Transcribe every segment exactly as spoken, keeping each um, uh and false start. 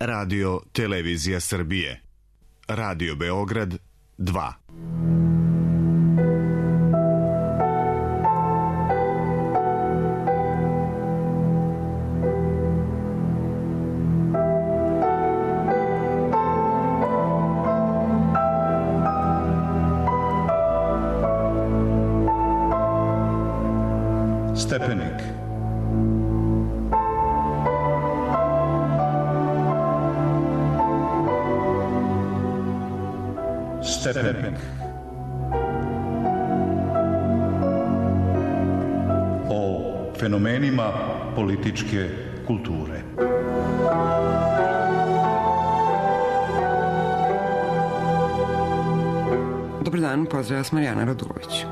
Radio Televizija Srbije. Radio Beograd dva. Stepenik. Stepenik. O fenomenima političke kulture. Dobar dan, pozdrav vas Marijana Radulović.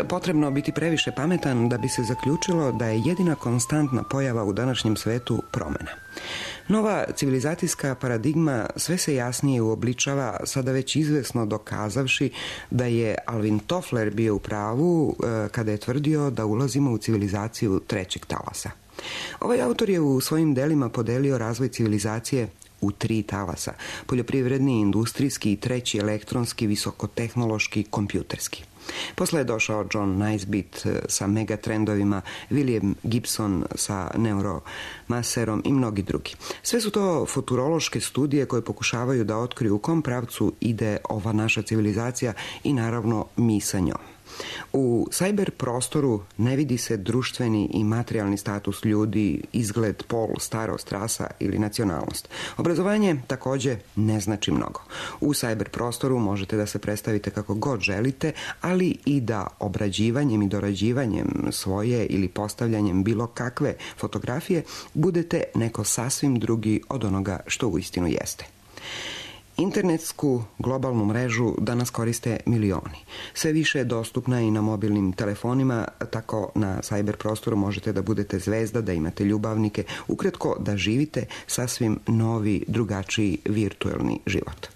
Potrebno biti previše pametan da bi se zaključilo da je jedina konstantna pojava u današnjem svetu promena. Nova civilizacijska paradigma sve se jasnije uobličava, sada već izvesno dokazavši da je Alvin Toffler bio u pravu kada je tvrdio da ulazimo u civilizaciju trećeg talasa. Ovaj autor je u svojim delima podelio razvoj civilizacije u tri talasa: poljoprivredni, industrijski i treći elektronski, visokotehnološki, kompjuterski. Posle je došao John Naisbitt sa megatrendovima, William Gibson sa neuromaserom i mnogi drugi. Sve su to futurološke studije koje pokušavaju da otkriju u kom pravcu ide ova naša civilizacija i naravno mi sa njom. U sajber prostoru ne vidi se društveni i materijalni status ljudi, izgled, pol, starost, rasa ili nacionalnost. Obrazovanje takođe ne znači mnogo. U sajber prostoru možete da se predstavite kako god želite, ali i da obrađivanjem i dorađivanjem svoje ili postavljanjem bilo kakve fotografije budete neko sasvim drugi od onoga što uistinu jeste. Internetsku globalnu mrežu danas koriste milioni. Sve više je dostupna i na mobilnim telefonima, tako na sajber prostoru možete da budete zvezda, da imate ljubavnike, ukratko da živite sasvim novi, drugačiji virtuelni život.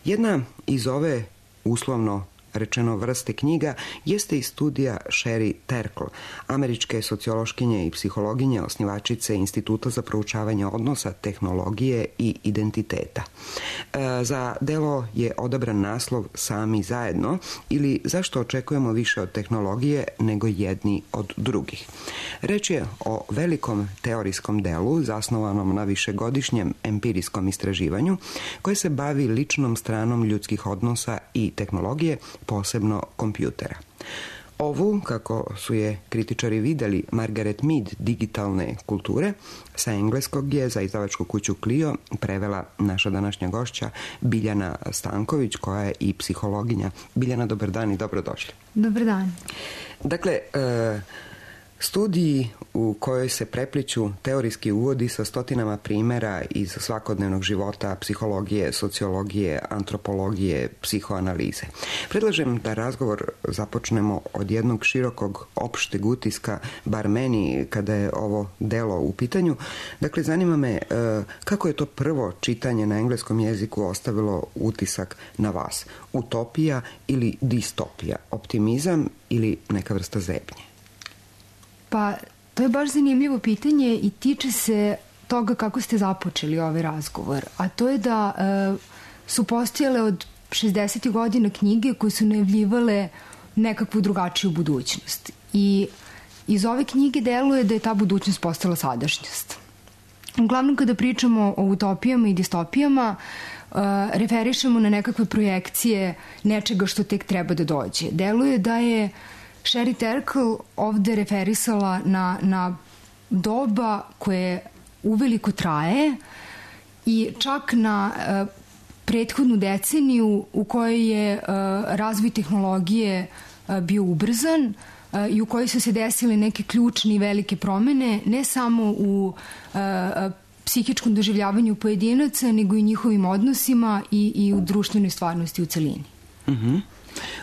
Jedna iz ove uslovno rečeno vrste knjiga jeste i studija Sherry Turkle, američke sociološkinje i psihologinje, osnivačice Instituta za proučavanje odnosa, tehnologije i identiteta. E, za delo je odabran naslov Sami zajedno ili Zašto očekujemo više od tehnologije nego jedni od drugih. Reč je o velikom teorijskom delu zasnovanom na višegodišnjem empirijskom istraživanju koje se bavi ličnom stranom ljudskih odnosa i tehnologije, posebno kompjutera. Ovu, kako su je kritičari videli, Margaret Mead digitalne kulture, sa engleskog je za izdavačku kuću Clio prevela naša današnja gošća Biljana Stanković, koja je i psihologinja. Biljana, dobar dan i dobrodošli. Dobar dan. Dakle, e, studiji u kojoj se prepliću teorijski uvodi sa stotinama primera iz svakodnevnog života, psihologije, sociologije, antropologije, psihoanalize. Predlažem da razgovor započnemo od jednog širokog opšteg utiska, bar meni kada je ovo delo u pitanju. Dakle, zanima me kako je to prvo čitanje na engleskom jeziku ostavilo utisak na vas? Utopija ili distopija? Optimizam ili neka vrsta zebnje? Pa, to je baš zanimljivo pitanje i tiče se toga kako ste započeli ovaj razgovor. A to je da e, su postojale od šezdesetih godina knjige koje su najavljivale nekakvu drugačiju budućnost. I iz ove knjige deluje da je ta budućnost postala sadašnjost. Uglavnom, kada pričamo o utopijama i distopijama, e, referišemo na nekakve projekcije nečega što tek treba da dođe. Deluje da je Sherry Turkle ovde referisala na, na doba koje uveliko traje i čak na e, prethodnu deceniju u kojoj je razvoj tehnologije bio ubrzan i u kojoj su se desile neke ključne i velike promene, ne samo u psihičkom doživljavanju pojedinaca, nego i njihovim odnosima i, i u društvenoj stvarnosti u celini. Uh-huh.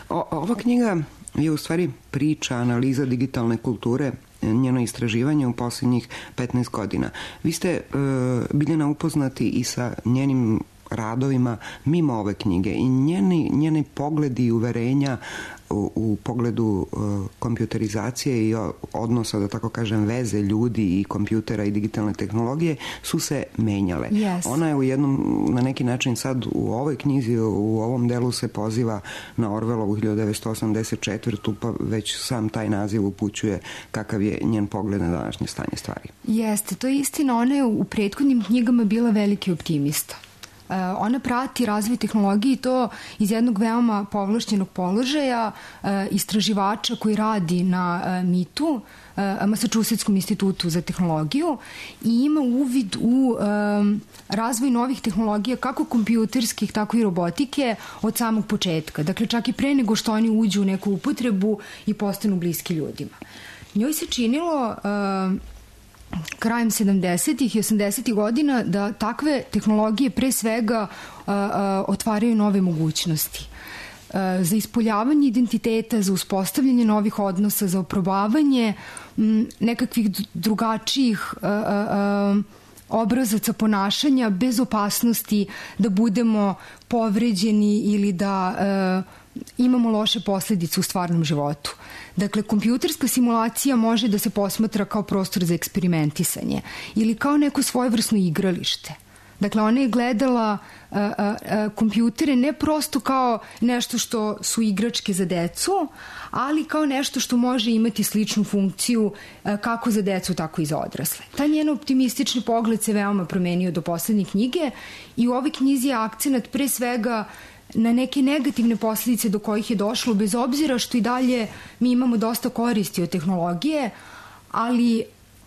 O, ova knjiga je u stvari priča, analiza digitalne kulture, njeno istraživanje u posljednjih petnaest godina. Vi ste, e, Biljana, upoznati i sa njenim radovima mimo ove knjige i njeni, njeni pogledi i uverenja u, u pogledu uh, kompjuterizacije i odnosa, da tako kažem, veze ljudi i kompjutera i digitalne tehnologije su se menjale. Yes. Ona je u jednom, na neki način sad u ovoj knjizi, u ovom delu se poziva na Orwellovu hiljadu devetsto osamdeset četvrtu, pa već sam taj naziv upućuje kakav je njen pogled na današnje stanje stvari. Jeste, to je istina. Ona je u prethodnim knjigama bila veliki optimista. Ona prati razvoj tehnologije i to iz jednog veoma povlašćenog položaja istraživača koji radi na mitu, Massachusettskom institutu za tehnologiju, i ima uvid u razvoj novih tehnologija, kako kompjuterskih, tako i robotike, od samog početka. Dakle, čak i pre nego što oni uđu u neku upotrebu i postanu bliski ljudima. Njoj se činilo krajem sedamdesetih i osamdesetih godina da takve tehnologije pre svega a, a, otvaraju nove mogućnosti. A, za ispoljavanje identiteta, za uspostavljanje novih odnosa, za oprobavanje m, nekakvih drugačijih a, a, a, obrazaca ponašanja bez opasnosti da budemo povređeni ili da a, imamo loše posljedice u stvarnom životu. Dakle, kompjuterska simulacija može da se posmatra kao prostor za eksperimentisanje ili kao neko svojevrsno igralište. Dakle, ona je gledala a, a, a, kompjutere ne prosto kao nešto što su igračke za decu, ali kao nešto što može imati sličnu funkciju a, kako za decu, tako i za odrasle. Taj njen optimistični pogled se veoma promenio do poslednje knjige i u ovoj knjizi je akcenat pre svega na neke negativne posljedice do kojih je došlo, bez obzira što i dalje mi imamo dosta koristi od tehnologije, ali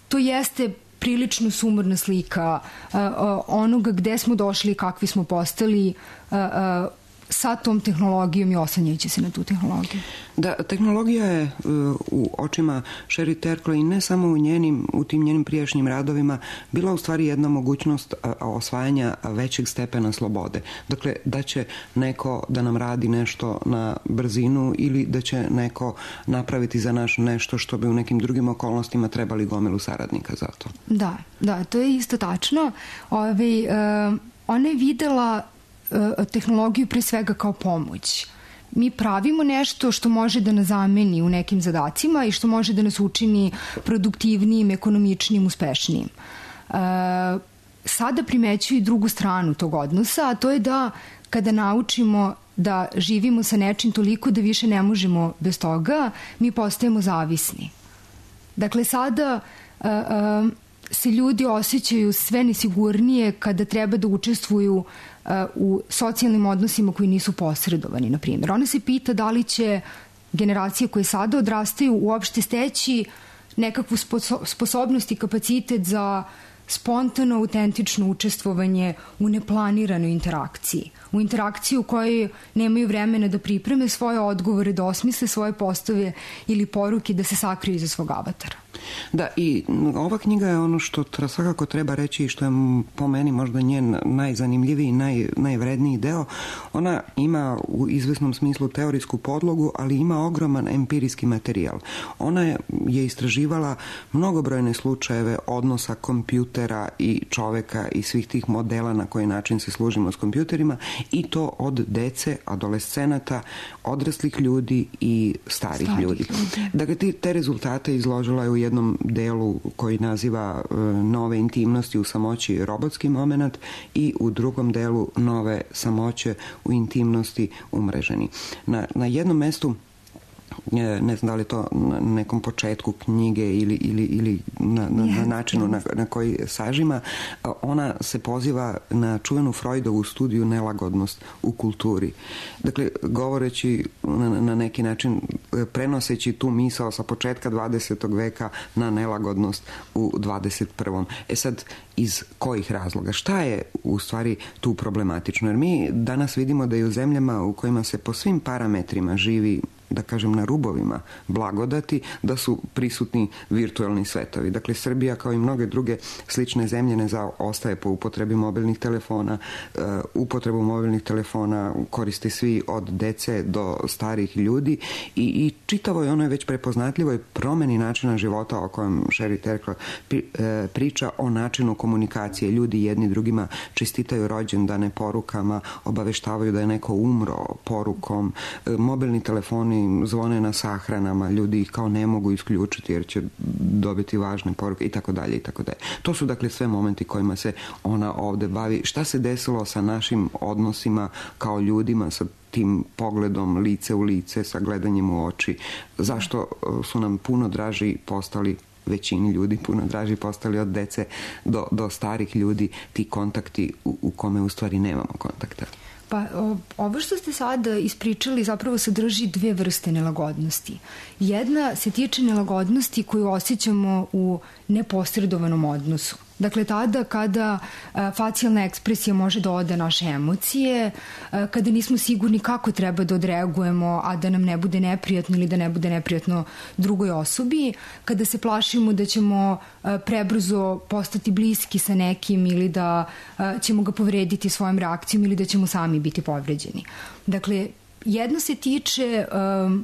to jeste prilično sumorna slika uh, uh, onoga gde smo došli i kakvi smo postali uh, uh, sa tom tehnologijom i oslanjajući se na tu tehnologiju. Da, tehnologija je uh, u očima Sherry Turkle i ne samo u njenim, u tim njenim prijašnjim radovima bila u stvari jedna mogućnost uh, osvajanja većeg stepena slobode. Dakle, da će neko da nam radi nešto na brzinu ili da će neko napraviti za naš nešto što bi u nekim drugim okolnostima trebali gomilu saradnika za to. Da, da, to je isto tačno. Ove, uh, ona je videla tehnologiju pre svega kao pomoć. Mi pravimo nešto što može da nas zameni u nekim zadacima i što može da nas učini produktivnijim, ekonomičnijim, uspešnijim. E, sada primećuju i drugu stranu tog odnosa, a to je da kada naučimo da živimo sa nečim toliko da više ne možemo bez toga, mi postajemo zavisni. Dakle, sada e, e, se ljudi osjećaju sve nesigurnije kada treba da učestvuju u socijalnim odnosima koji nisu posredovani, na primjer. Ona se pita da li će generacije koje sada odrastaju uopšte steći nekakvu sposobnost i kapacitet za spontano, autentično učestvovanje u neplaniranoj interakciji. U interakciji u kojoj nemaju vremena da pripreme svoje odgovore, da osmisle svoje postave ili poruke, da se sakriju iza svog avatara. Da, i ova knjiga je ono što svakako treba reći i što je po meni možda njen najzanimljiviji i naj, najvredniji deo. Ona ima u izvesnom smislu teorijsku podlogu, ali ima ogroman empirijski materijal. Ona je, je istraživala mnogobrojne slučajeve odnosa kompjutera i čoveka i svih tih modela na koji način se služimo s kompjuterima, i to od dece, adolescenata, odraslih ljudi i starih Stari ljudi. ljudi. Dakle, te rezultate izložila je u jednom delu koji naziva e, nove intimnosti u samoći robotski moment i u drugom delu nove samoće u intimnosti umreženi. Na, na jednom mestu ne znam da li to na nekom početku knjige ili, ili, ili na, na, na načinu na, na koji sažima, ona se poziva na čuvenu Freudovu studiju nelagodnost u kulturi. Dakle, govoreći na, na neki način, prenoseći tu misao sa početka dvadesetog veka na nelagodnost u dvadeset prvom. E sad, iz kojih razloga? Šta je u stvari tu problematično? Jer mi danas vidimo da i u zemljama u kojima se po svim parametrima živi, da kažem, na rubovima blagodati, da su prisutni virtualni svetovi. Dakle, Srbija, kao i mnoge druge slične zemlje, ne zaostaje po upotrebi mobilnih telefona. Uh, upotrebu mobilnih telefona koriste svi, od dece do starih ljudi, i, i čitavo je ono je već prepoznatljivoj promeni načina života o kojem Sherry Turkle pri, uh, priča, o načinu komunikacije. Ljudi jedni drugima čestitaju rođendane porukama, obaveštavaju da je neko umro porukom. Uh, mobilni telefoni zvone na sahranama, ljudi ih kao ne mogu isključiti jer će dobiti važne poruke i tako dalje i tako dalje. To su dakle sve momenti kojima se ona ovde bavi. Šta se desilo sa našim odnosima kao ljudima, sa tim pogledom lice u lice, sa gledanjem u oči? Zašto su nam puno draži postali, većini ljudi puno draži postali od dece do, do starih ljudi, ti kontakti u, u kome u stvari nemamo kontakta? Pa ovo što ste sada ispričali zapravo sadrži dve vrste nelagodnosti. Jedna se tiče nelagodnosti koju osjećamo u neposredovanom odnosu. Dakle, tada kada a, facijalna ekspresija može da ode naše emocije, a, kada nismo sigurni kako treba da odreagujemo, a da nam ne bude neprijatno ili da ne bude neprijatno drugoj osobi, kada se plašimo da ćemo a, prebrzo postati bliski sa nekim ili da a, ćemo ga povrediti svojom reakcijom ili da ćemo sami biti povređeni. Dakle, jedno se tiče a,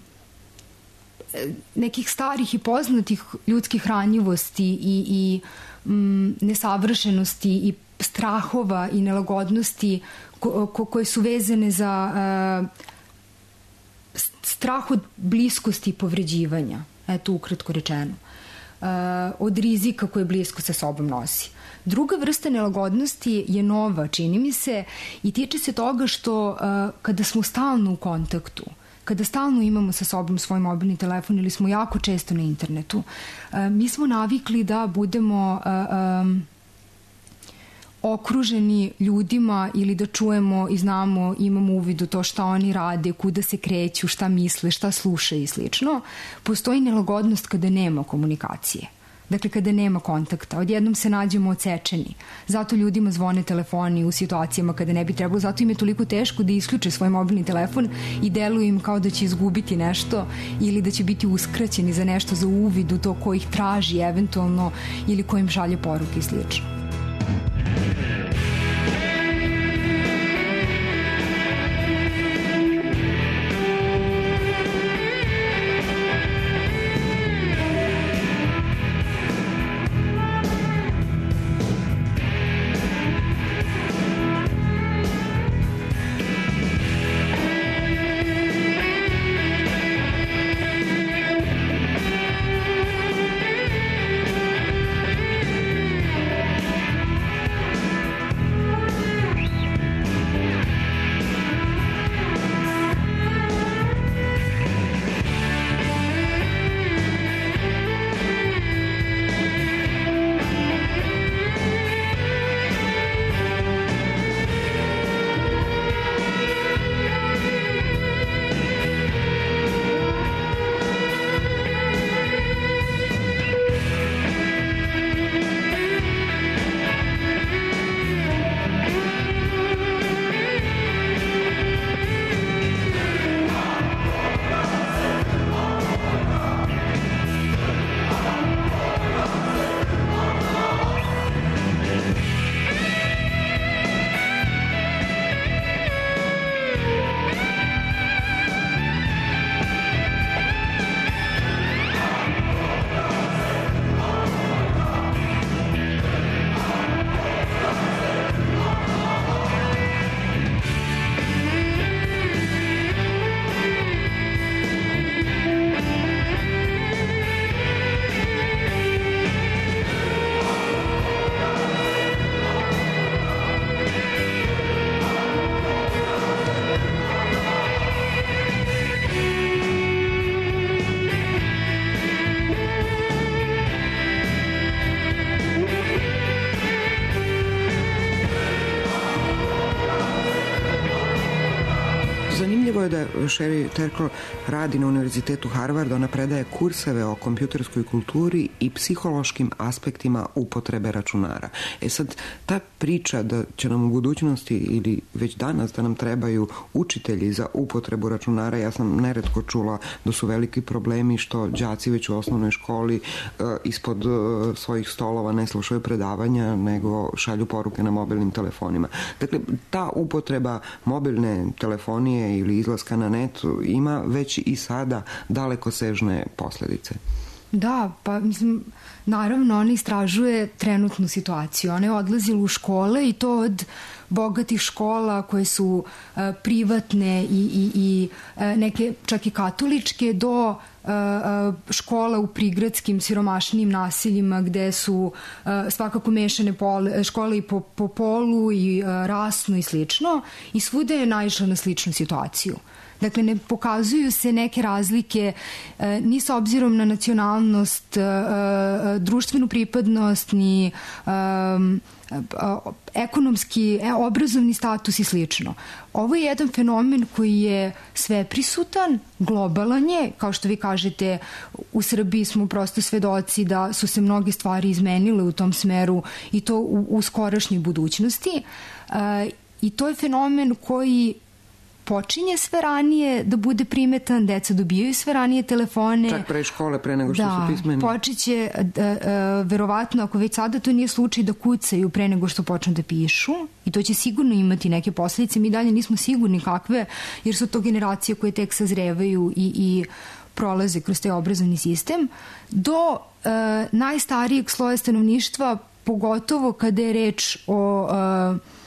nekih starih i poznatih ljudskih ranjivosti i, i nesavršenosti i strahova i nelagodnosti ko, ko, koje su vezane za uh, strah od bliskosti i povređivanja, eto ukratko rečeno, uh, od rizika koje blisko sa sobom nosi. Druga vrsta nelagodnosti je nova, čini mi se, i tiče se toga što uh, kada smo stalno u kontaktu, kada stalno imamo sa sobom svoj mobilni telefon ili smo jako često na internetu, mi smo navikli da budemo um, okruženi ljudima ili da čujemo i znamo, imamo uvid u to šta oni rade, kuda se kreću, šta misle, šta slušaju i slično. Postoji nelagodnost kada nema komunikacije. Dakle, kada nema kontakta, odjednom se nađemo odsečeni. Zato ljudima zvone telefoni u situacijama kada ne bi trebalo, zato im je toliko teško da isključe svoj mobilni telefon i deluju im kao da će izgubiti nešto ili da će biti uskraćeni za nešto, za uvid u to ko ih traži eventualno ili ko im šalje poruke i slično. je da Sherry Turkle radi na Univerzitetu Harvard, ona predaje kurseve o kompjuterskoj kulturi i psihološkim aspektima upotrebe računara. E sad, ta priča da će nam u budućnosti ili već danas da nam trebaju učitelji za upotrebu računara, ja sam neretko čula da su veliki problemi što đaci već u osnovnoj školi uh, ispod uh, svojih stolova ne slušaju predavanja, nego šalju poruke na mobilnim telefonima. Dakle, ta upotreba mobilne telefonije ili izlaska na net ima već i sada dalekosežne posljedice. Da, pa mislim, naravno ona istražuje trenutnu situaciju. Ona je odlazila u škole i to od bogatih škola koje su uh, privatne i, i, i uh, neke čak i katoličke do uh, škola u prigradskim siromašnim naseljima gde su uh, svakako mešane pole, škole i po, po polu i uh, rasno i slično, i svuda je naišla na sličnu situaciju. Dakle, ne pokazuju se neke razlike e, ni s obzirom na nacionalnost, e, e, društvenu pripadnost, ni e, e, ekonomski, e, obrazovni status i slično. Ovo je jedan fenomen koji je sveprisutan, globalan je, kao što vi kažete, u Srbiji smo prosto svedoci da su se mnoge stvari izmenile u tom smeru i to u, u skorašnjoj budućnosti. E, I to je fenomen koji počinje sve ranije da bude primetan, deca dobijaju sve ranije telefone. Čak pre škole, pre nego što da, su pismeni. Da, počeće, verovatno, ako već sada to nije slučaj, da kucaju pre nego što počnu da pišu, i to će sigurno imati neke posljedice. Mi dalje nismo sigurni kakve, jer su to generacije koje tek sazrevaju i, i prolaze kroz taj obrazovni sistem, do e, najstarijeg sloja stanovništva, pogotovo kada je reč o e,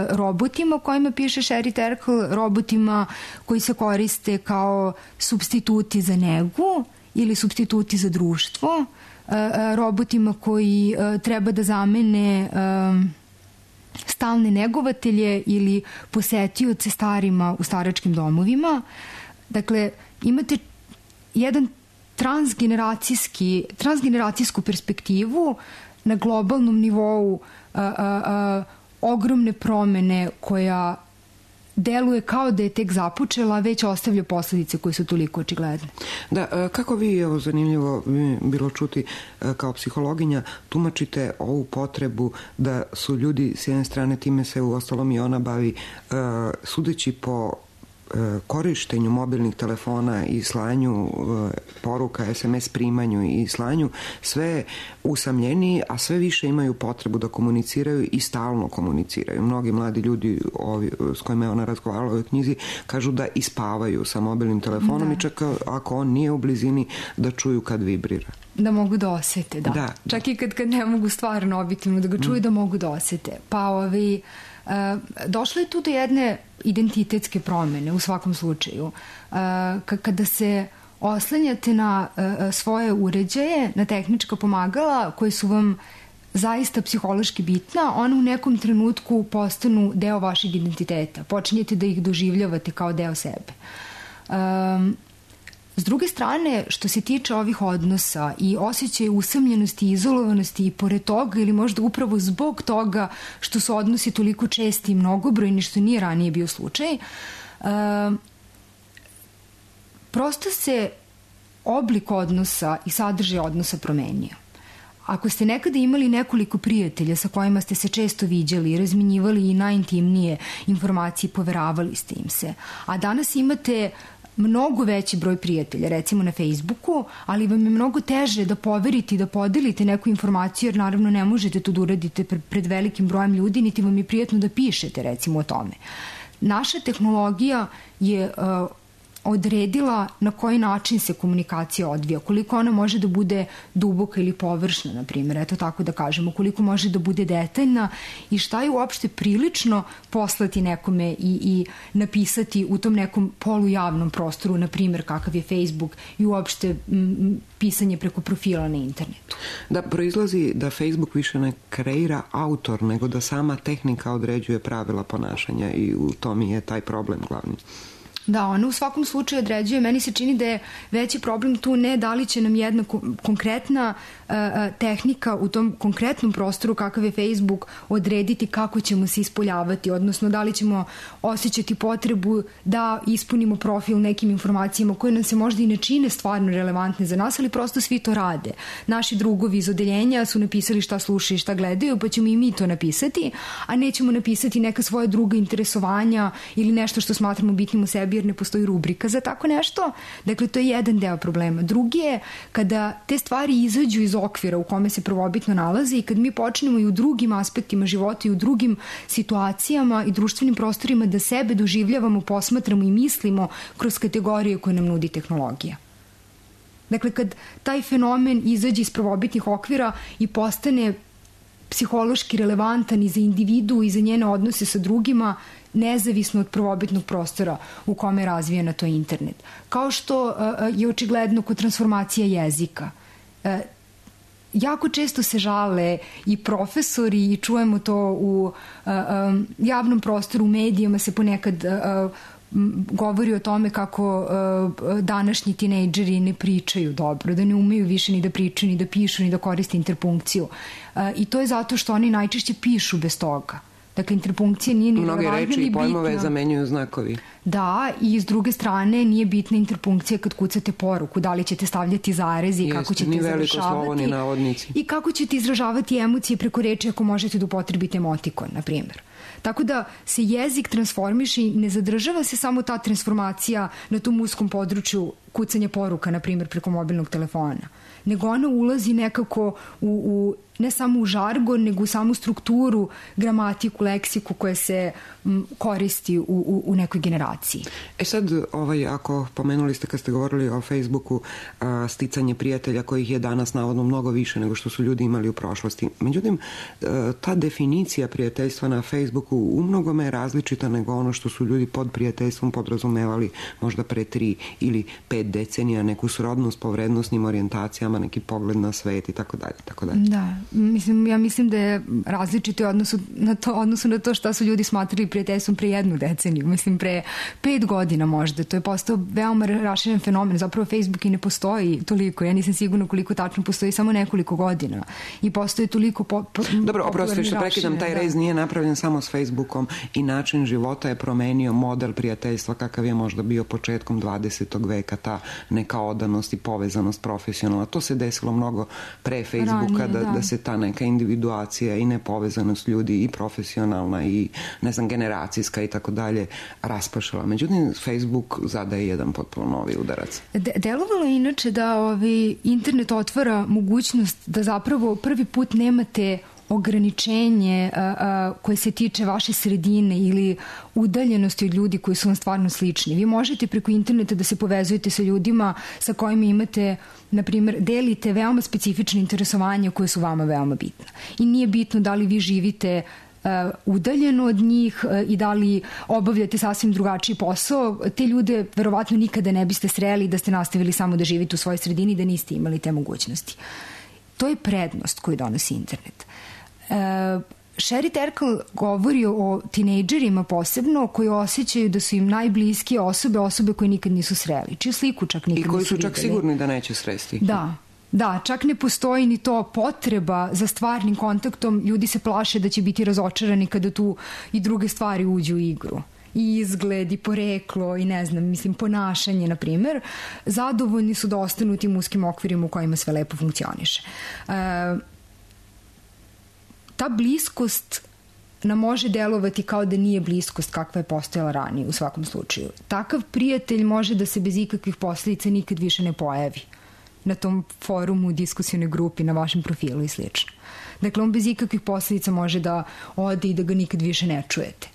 robotima o kojima piše Sherry Turkle, robotima koji se koriste kao supstituti za negu ili supstituti za društvo, robotima koji treba da zamene stalne negovatelje ili posetioce starima u staračkim domovima. Dakle, imate jedan transgeneracijski, transgeneracijsku perspektivu na globalnom nivou, a, a, a, ogromne promene koja deluje kao da je tek započela, već ostavlja posljedice koje su toliko očigledne. Da, kako vi, evo zanimljivo bilo čuti, kao psihologinja, tumačite ovu potrebu da su ljudi s jedne strane, time se u ostalom i ona bavi, sudeći po korištenju mobilnih telefona i slanju poruka, es em es primanju i slanju, sve usamljeniji, a sve više imaju potrebu da komuniciraju i stalno komuniciraju. Mnogi mladi ljudi ovi, s kojima je ona razgovarala u ovoj knjizi kažu da ispavaju sa mobilnim telefonom, da. I čak ako on nije u blizini, da čuju kad vibrira. Da mogu da osete, da. da čak da. I kad, kad ne mogu stvarno objektivno da ga čuju, mm. da mogu da osete. Pa ovi, uh, došlo je tu do jedne identitetske promene u svakom slučaju. Uh, kada se oslanjate na uh, svoje uređaje, na tehnička pomagala koje su vam zaista psihološki bitna, one u nekom trenutku postanu deo vašeg identiteta. Počinjete da ih doživljavate kao deo sebe. Um, S druge strane, što se tiče ovih odnosa i osjećaja usamljenosti i izolovanosti i pored toga ili možda upravo zbog toga što su odnosi toliko česti i mnogobrojni, što nije ranije bio slučaj, uh, prosto se oblik odnosa i sadržaj odnosa promenio. Ako ste nekada imali nekoliko prijatelja sa kojima ste se često viđali i razminjivali i najintimnije informacije, poveravali ste im se, a danas imate mnogo veći broj prijatelja, recimo na Facebooku, ali vam je mnogo teže da poverite i da podelite neku informaciju, jer naravno ne možete to da uradite pred velikim brojem ljudi, niti vam je prijatno da pišete, recimo, o tome. Naša tehnologija je uh, odredila na koji način se komunikacija odvija, koliko ona može da bude duboka ili površna, na primjer, eto tako da kažemo, koliko može da bude detaljna i šta je uopšte prilično poslati nekome i, i napisati u tom nekom polujavnom prostoru, na primjer kakav je Facebook i uopšte m, pisanje preko profila na internetu. Da, proizlazi da Facebook više ne kreira autor, nego da sama tehnika određuje pravila ponašanja i u tom je taj problem glavni. Da, ona u svakom slučaju određuje. Meni se čini da je veći problem tu ne da li će nam jedna konkretna uh, tehnika u tom konkretnom prostoru kakav je Facebook odrediti kako ćemo se ispoljavati, odnosno da li ćemo osjećati potrebu da ispunimo profil nekim informacijama koje nam se možda i ne čine stvarno relevantne za nas, ali prosto svi to rade. Naši drugovi iz odeljenja su napisali šta slušaju i šta gledaju, pa ćemo i mi to napisati, a nećemo napisati neka svoja druga interesovanja ili nešto što smatramo bitnim u sebi jer ne postoji rubrika za tako nešto. Dakle, to je jedan deo problema. Drugi je kada te stvari izađu iz okvira u kome se prvobitno nalazi i kad mi počnemo i u drugim aspektima života i u drugim situacijama i društvenim prostorima da sebe doživljavamo, posmatramo i mislimo kroz kategorije koje nam nudi tehnologija. Dakle, kad taj fenomen izađe iz prvobitnih okvira i postane psihološki relevantan i za individu i za njene odnose sa drugima, nezavisno od prvobitnog prostora u kome je razvijena to internet. Kao što uh, je očigledno kod transformacija jezika. Uh, jako često se žale i profesori i čujemo to u uh, um, javnom prostoru, u medijima se ponekad uh, govori o tome kako uh, današnji tinejdžeri ne pričaju dobro, da ne umeju više ni da pričaju, ni da pišu, ni da koriste interpunkciju. Uh, I to je zato što oni najčešće pišu bez toga. Dakle, interpunkcija nije ni relevantna ni bitna. Mnoge reči i pojmove zamenjuju znakovi. Da, i s druge strane nije bitna interpunkcija kad kucate poruku, da li ćete stavljati zarezi i kako ćete završavati i kako ćete izražavati emocije preko reči ako možete da upotrebite emotikon, na primjer. Tako da se jezik transformiše i ne zadržava se samo ta transformacija na tom uskom području kucanja poruka, na primjer, preko mobilnog telefona, nego ona ulazi nekako u, u ne samo u žargon, nego u samu strukturu, gramatiku, leksiku koja se m, koristi u, u, u nekoj generaciji. E sad, ovaj, ako pomenuli ste kad ste govorili o Facebooku, a, sticanje prijatelja kojih je danas navodno mnogo više nego što su ljudi imali u prošlosti. Međutim, a, ta definicija prijateljstva na Facebooku u mnogome je različita nego ono što su ljudi pod prijateljstvom podrazumevali možda pre tri ili pet decenija, neku srodnost po vrednostnim orijentacijama, neki pogled na svet i tako dalje, tako dalje. Da. Mislim, ja mislim da je različito u odnosu na to, odnosu na to šta su ljudi smatrali prijateljstvom pre jednu deceniju. Mislim, pre pet godina možda. To je postao veoma raširen fenomen. Zapravo Facebook i ne postoji toliko. Ja nisam sigurna koliko tačno postoji, samo nekoliko godina. I postoji toliko po, po, Dobro, oprosti što prekidam, taj rez nije napravljen samo s Facebookom i način života je promenio model prijateljstva kakav je možda bio početkom dvadesetog veka, ta neka odanost i povezanost profesionalna. To se desilo mnogo pre Facebooka, Ranije, da, da. da se ta neka individuacija i nepovezanost ljudi i profesionalna i ne znam generacijska i tako dalje raspašala. Međutim, Facebook zadaje jedan potpuno novi udarac. De- delovalo je inače da ovi internet otvara mogućnost da zapravo prvi put nemate ograničenje a, a, koje se tiče vaše sredine ili udaljenosti od ljudi koji su vam stvarno slični. Vi možete preko interneta da se povezujete sa ljudima sa kojima imate, na primjer, delite veoma specifične interesovanja koje su vama veoma bitna. I nije bitno da li vi živite uh, udaljeno od njih uh, i da li obavljate sasvim drugačiji posao. Te ljude verovatno nikada ne biste sreli da ste nastavili samo da živite u svojoj sredini i da niste imali te mogućnosti. To je prednost koju donosi internet. Uh, Sherry Terkel govori o tinejdžerima posebno koji osjećaju da su im najbliskije osobe, osobe koje nikad nisu sreli, čiju sliku čak nikad nisu videli. I koji su čak sigurni da neće sresti. Da, da, čak ne postoji ni to potreba za stvarnim kontaktom, ljudi se plaše da će biti razočarani kada tu i druge stvari uđu u igru. I izgled, i poreklo, i ne znam, mislim, ponašanje, na primjer, zadovoljni su da ostanu u tim uskim okvirima u kojima sve lepo funkcioniše. Uh, Ta bliskost nam može delovati kao da nije bliskost kakva je postojala ranije u svakom slučaju. Takav prijatelj može da se bez ikakvih posljedica nikad više ne pojavi na tom forumu, diskusione grupi, na vašem profilu i slično. Dakle, on bez ikakvih posljedica može da ode i da ga nikad više ne čujete.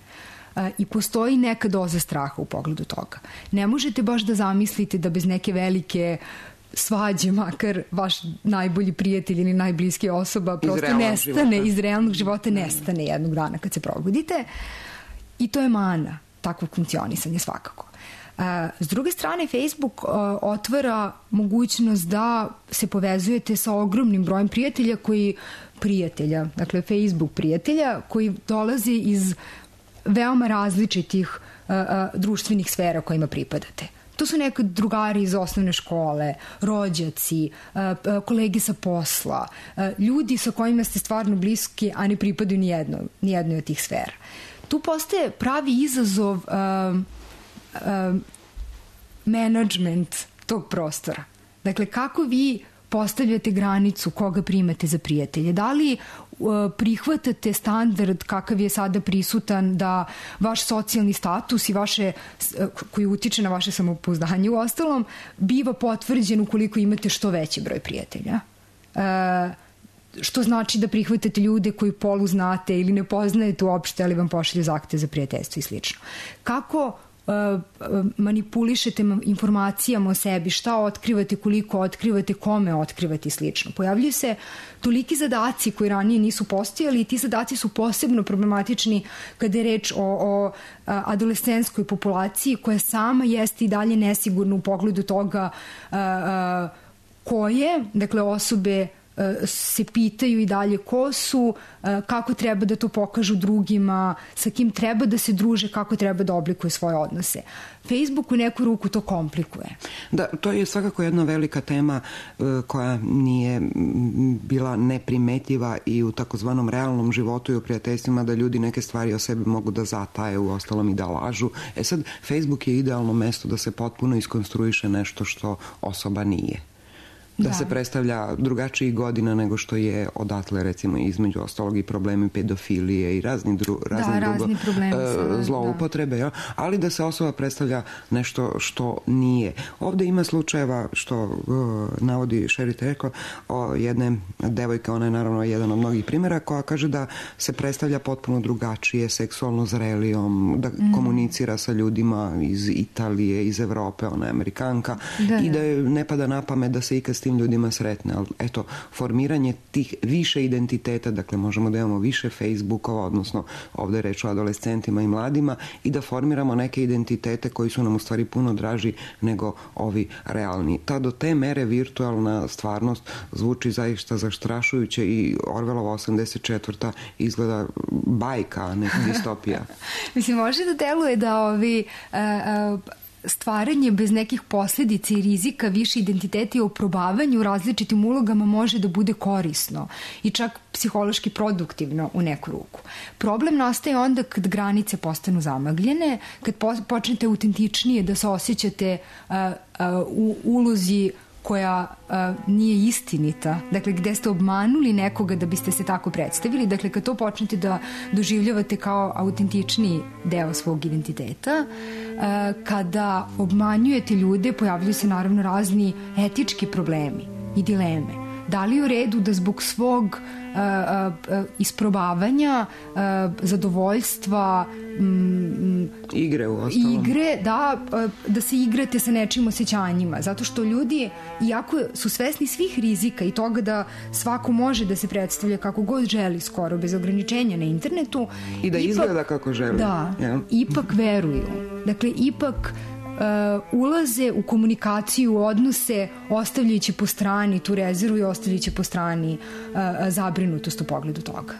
I postoji neka doza straha u pogledu toga. Ne možete baš da zamislite da bez neke velike svađe, makar vaš najbolji prijatelj ili najbliski osoba prosto nestane života. Iz realnog života, nestane jednog dana kad se probudite. I to je mana takvog funkcionisanja svakako. S druge strane, Facebook otvara mogućnost da se povezujete sa ogromnim brojem prijatelja koji prijatelja, dakle Facebook prijatelja koji dolazi iz veoma različitih a, društvenih sfera kojima pripadate. To su nekad drugari iz osnovne škole, rođaci, kolege sa posla, ljudi sa kojima ste stvarno bliski, a ne pripadaju ni jedno, ni jednoj od tih sfera. Tu postaje pravi izazov um, um, menadžment tog prostora. Dakle, kako vi postavljate granicu koga primate za prijatelje? Da li uh, prihvatate standard kakav je sada prisutan da vaš socijalni status i vaše, uh, koji utiče na vaše samopouzdanje u ostalom, biva potvrđen ukoliko imate što veći broj prijatelja? Uh, što znači da prihvatate ljude koji polu znate ili ne poznajete uopšte, ali vam pošalju zahtev za prijateljstvo i slično. Kako manipulišete informacijama o sebi, šta otkrivate, koliko otkrivate, kome otkrivate i slično. Pojavljuju se toliki zadaci koji ranije nisu postojali i ti zadaci su posebno problematični kada je reč o, o adolescenskoj populaciji koja sama jeste i dalje nesigurna u pogledu toga a, a, koje, dakle osobe se pitaju i dalje ko su, kako treba da to pokažu drugima, sa kim treba da se druže, kako treba da oblikuju svoje odnose. Facebook u neku ruku to komplikuje. Da, to je svakako jedna velika tema koja nije bila neprimetljiva i u takozvanom realnom životu i u prijateljstvima, da ljudi neke stvari o sebi mogu da zataje, u ostalom i da lažu. E sad, Facebook je idealno mesto da se potpuno iskonstruiše nešto što osoba nije. Da, da se predstavlja drugačijih godina nego što je odatle, recimo, između ostalog i problemi pedofilije i razni, dru, razni da, drugo uh, zloupotrebe, da. Ali da se osoba predstavlja nešto što nije. Ovde ima slučajeva, što uh, navodi Šerit rekao, o jedne devojke, ona je naravno jedan od mnogih primjera, koja kaže da se predstavlja potpuno drugačije, seksualno zrelijom, da mm. komunicira sa ljudima iz Italije, iz Evrope, ona je Amerikanka, da, i da je ne pada na pamet da se ikad s tim ljudima sretne, ali eto, formiranje tih više identiteta, dakle možemo da imamo više Facebookova, odnosno ovde je reč o adolescentima i mladima, i da formiramo neke identitete koji su nam u stvari puno draži nego ovi realni. Ta do te mere virtualna stvarnost zvuči zaista zastrašujuće i Orwellova osamdeset četvrta izgleda bajka, a ne distopija. Mislim, može da deluje da ovi uh, uh, stvaranje bez nekih posljedica i rizika više identiteta i oprobavanju u različitim ulogama može da bude korisno i čak psihološki produktivno u neku ruku. Problem nastaje onda kad granice postanu zamagljene, kad počnete autentičnije da se osjećate uh, uh, u ulozi koja uh, nije istinita, dakle gde ste obmanuli nekoga da biste se tako predstavili, dakle kad to počnete da doživljavate kao autentičniji deo svog identiteta, uh, kada obmanjujete ljude, pojavljuju se naravno razni etički problemi i dileme. Da li je u redu da zbog svog uh, uh, isprobavanja, uh, zadovoljstva, um, igre u ostalom. Igre, da, uh, da se igrate sa nečim osjećanjima. Zato što ljudi, iako su svesni svih rizika i toga da svako može da se predstavlja kako god želi skoro, bez ograničenja na internetu. I da ipak, izgleda kako želi. Da, ja. Ipak veruju. Dakle, ipak Uh, ulaze u komunikaciju, u odnose, ostavljajući po strani tu rezervu i ostavljajući po strani uh, zabrinutost u pogledu toga.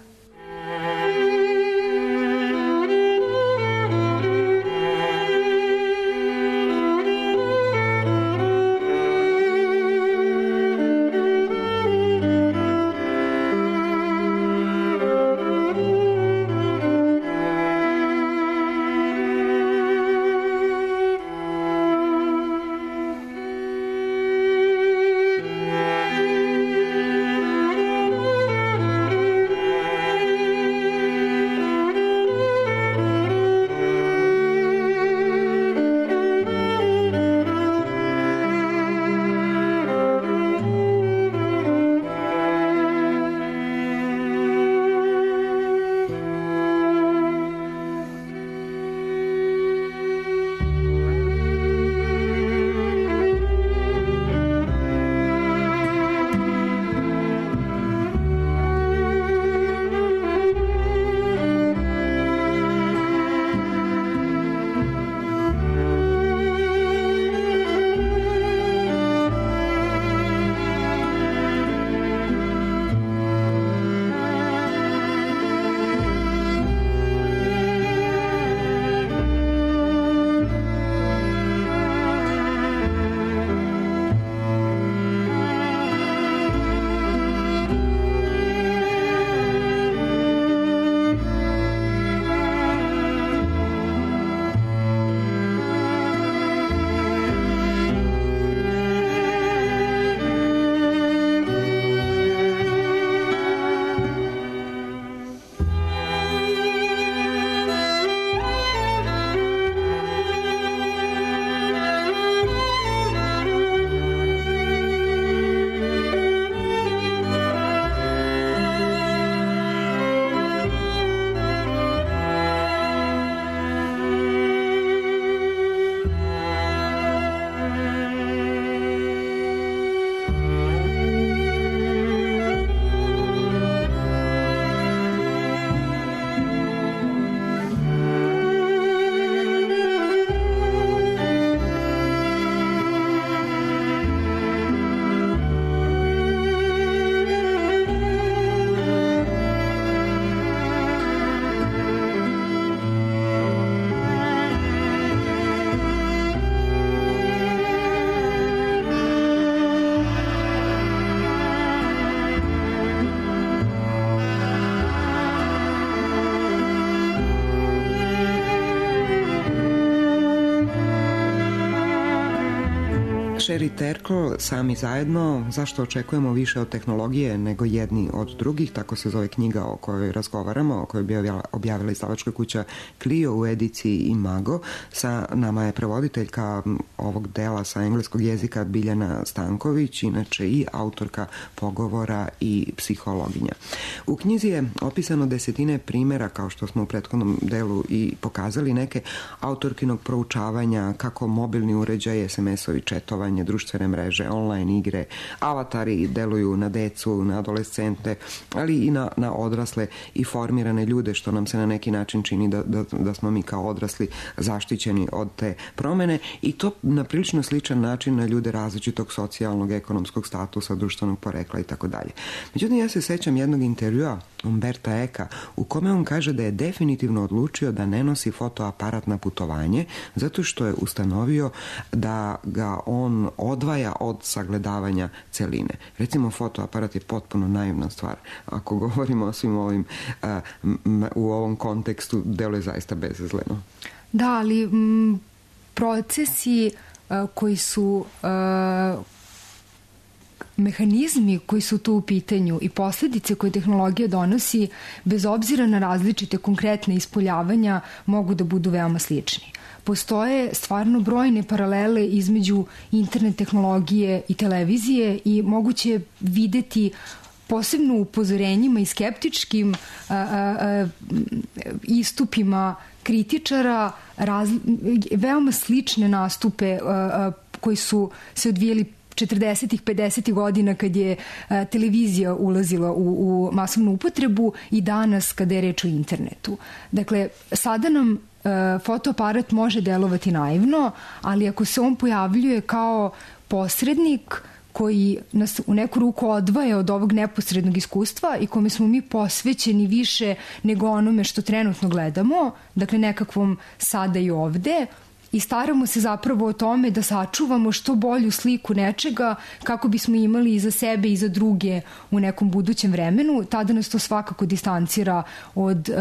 Sherry Terkel, Sami zajedno, zašto očekujemo više od tehnologije nego jedni od drugih, tako se zove knjiga o kojoj razgovaramo, o kojoj bi objavila izdavačka kuća Clio u ediciji Imago. Sa nama je prevoditeljka ovog dela sa engleskog jezika Biljana Stanković, inače i autorka pogovora i psihologinja. U knjizi je opisano desetine primjera, kao što smo u prethodnom delu i pokazali, neke autorkinog proučavanja kako mobilni uređaj, es em es-ovi, četovanje, društvene mreže, online igre, avatari deluju na decu, na adolescente, ali i na, na odrasle i formirane ljude, što nam se na neki način čini da, da, da smo mi kao odrasli zaštićeni od te promene, i to na prilično sličan način na ljude različitog socijalnog, ekonomskog statusa, društvenog porekla i tako dalje. Međutim, ja se sećam jednog intervjua Umberta Eka u kome on kaže da je definitivno odlučio da ne nosi fotoaparat na putovanje zato što je ustanovio da ga on odvaja od sagledavanja celine. Recimo, fotoaparat je potpuno naivna stvar. Ako govorimo o svim ovim a, m, u ovom kontekstu, delo je zaista bezazleno. Da, ali m, procesi a, koji su a, mehanizmi koji su tu u pitanju i posljedice koje tehnologija donosi, bez obzira na različite konkretne ispoljavanja, mogu da budu veoma slični. Postoje stvarno brojne paralele između internet tehnologije i televizije i moguće videti posebno u upozorenjima i skeptičkim a, a, a, istupima kritičara raz, veoma slične nastupe a, a, koji su se odvijeli četrdesetih, pedesetih godina kad je a, televizija ulazila u, u masovnu upotrebu i danas kada je reč o internetu. Dakle, sada nam a, fotoaparat može delovati naivno, ali ako se on pojavljuje kao posrednik koji nas u neku ruku odvaja od ovog neposrednog iskustva i kome smo mi posvećeni više nego onome što trenutno gledamo, dakle nekakvom sada i ovde, i staramo se zapravo o tome da sačuvamo što bolju sliku nečega kako bismo imali i za sebe i za druge u nekom budućem vremenu, tada nas to svakako distancira od uh,